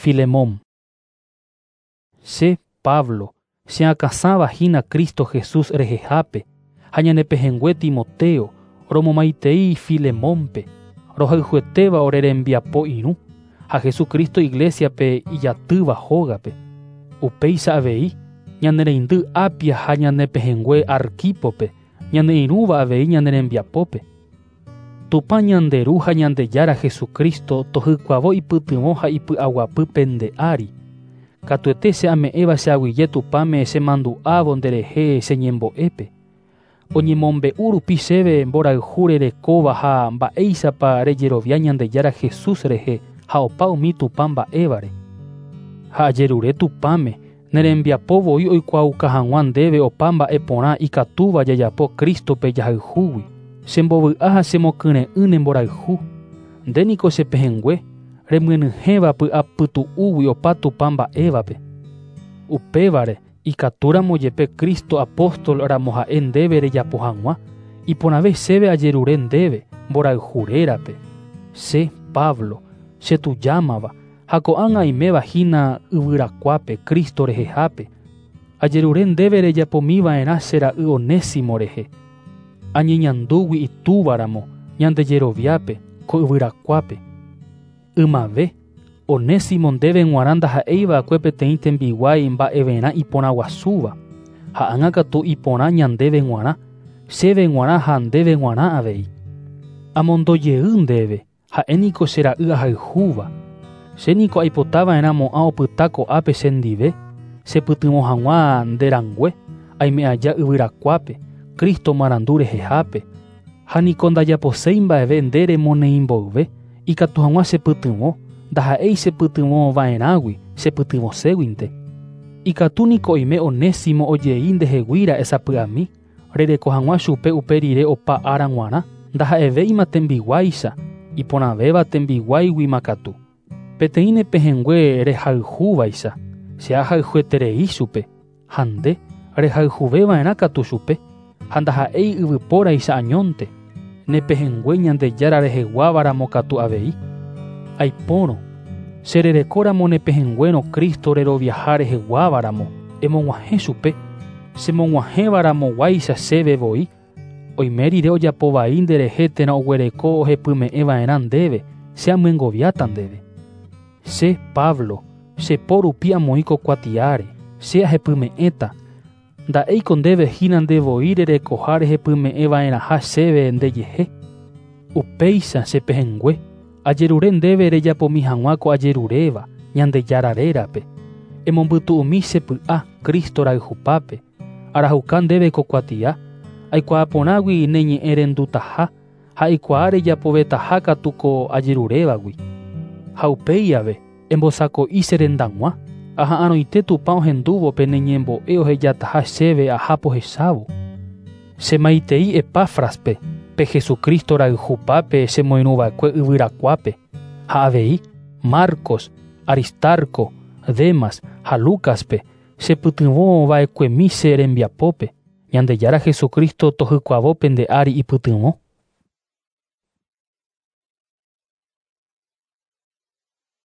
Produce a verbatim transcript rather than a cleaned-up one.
Filemón. Che, Pablo, cheakãsãva hína Cristo Jesús rehehápe, ha ñanepehẽngue Timoteo, romomaitei Filemónpe, rohayhuetéva ore rembiapo irũ, ha Jesucristo Iglesiape ijatýva hógape. Upéicha avei, ñane reindy Apia ha ñanepehẽngue Arquípope, ñane irũva avei ñane rembiapópe. Tupã ñande Ru ha Ñandejára Jesucristo tohykuavo ipytyvõ ha ipy'aguapy pende ári. Katuete che ame'ẽva che aguyje Tupãme chemandu'ávo nderehe che ñembo'épe. Oñemombe'u rupi chéve mborayhu rerekóva ha mba'éichapa rejerovia Ñandejára Jesús rehe ha opa umi Tupã mba'évare. Ha ajerure Tupãme nerembiapo voi oikuaauka hag̃ua ndéve opa mba'e porã ikatúva jajapo Cristope jahayhúgui. Chembovy'a ha chemokyre'ỹ ne mborayhu. Nde niko chepehẽngue remyenyhẽva py'apytu'úgui opa Tupã mba'évape. Upévare ikatúramo jepe Cristo apóstol ramo ha'e ndéve rejapo hag̃ua, iporãve chéve ajerure ndéve mborayhu rérape. Che, Pablo, chetujámava ha ko'ág̃a aiméva hína yvyrakuápe Cristo rehehápe. Ajerure ndéve rejapomiva'erã che ra'y Onésimo rehe. Añeñandúgui itúvaramo ñandejeroviápe ko yvyrakuápe. Ymave, Onésimo ndéve g̃uarã ndaha'éiva'ekue peteĩ tembiguái mba'everã iporãguasúva, ha ág̃a katu iporã ñandéve g̃uarã, chéve g̃uarã ha ndéve g̃uarã avei. Amondojey ndéve, ha'éniko che ra'y ahayhúva. Chéniko aipotava'erãmo'ã opyta ko'ápe chendive, chepytyvõ hag̃ua nderangue, aime aja yvyrakuápe, Cristo marandu rehehápe. Ha niko ndajaposéi mba'eve nde remoneĩmboyve, ikatu hag̃ua chepytyvõ, ndaha'éi chepytyvõva'erãgui, chepytyvõséguinte. Ikatu niko oime Onésimo ojei ndeheguíra'e sapy'ami, rereko hag̃ua chupe upe rire opa ára g̃uarã, ndaha'evéima tembiguáicha, iporãvéva tembiguáiguima katu. Peteĩ nepehẽngue rehayhúvaicha, che ahayhueterei chupe, ha nde rehayhuveva'erã katu chupe, ha ndaha'éi yvypóraicha añónte, nepehẽngue Ñandejára reheguávaramo katu avei. Aipórõ, chererekóramo nepehẽnguérõ Cristo reroviaha reheguávaramo, emog̃uahẽ chupe, chemog̃uahẽvaramoguáicha chéve voi, oime rire ojapo vai nderehe térã oguereko ohepyme'ẽva'erã ndéve, che amyengoviáta ndéve. Che, Pablo, chepo rupi amoĩ ko kuatiáre, che ahepyme'ẽta. Nda'éiko ndéve hína nde voi rerekoha rehepyme'ẽva'erãha chéve ndejehe. Upéicha chepehẽngue, ajerure ndéve rejapomi hag̃ua ko ajeruréva Ñandejára rérape. Emombytu'umi che py'a Cristo rayhupápe. Arahuka ndéve ko kuatia, aikuaa porãgui ne ñe'ẽ rendutaha ha aikuaa rejapovetaha katu ko ajerurévagui. Ha upéi ave, embosako'i che rendag̃ua, aha'arõite Tupã ohendúvo pene ñembo'e ohejataha chéve aha pohechávo. Chemaitei Epáfraspe, pe Jesucristo rayhupápe chemoirũva'ekue yvyrakuápe, ha avei Marcos, Aristarco, Demas ha Lucaspe chepytyvõva'ekuemi che rembiapópe. Ñandejára Jesucristo tohykuavo pende ári ipytyvõ.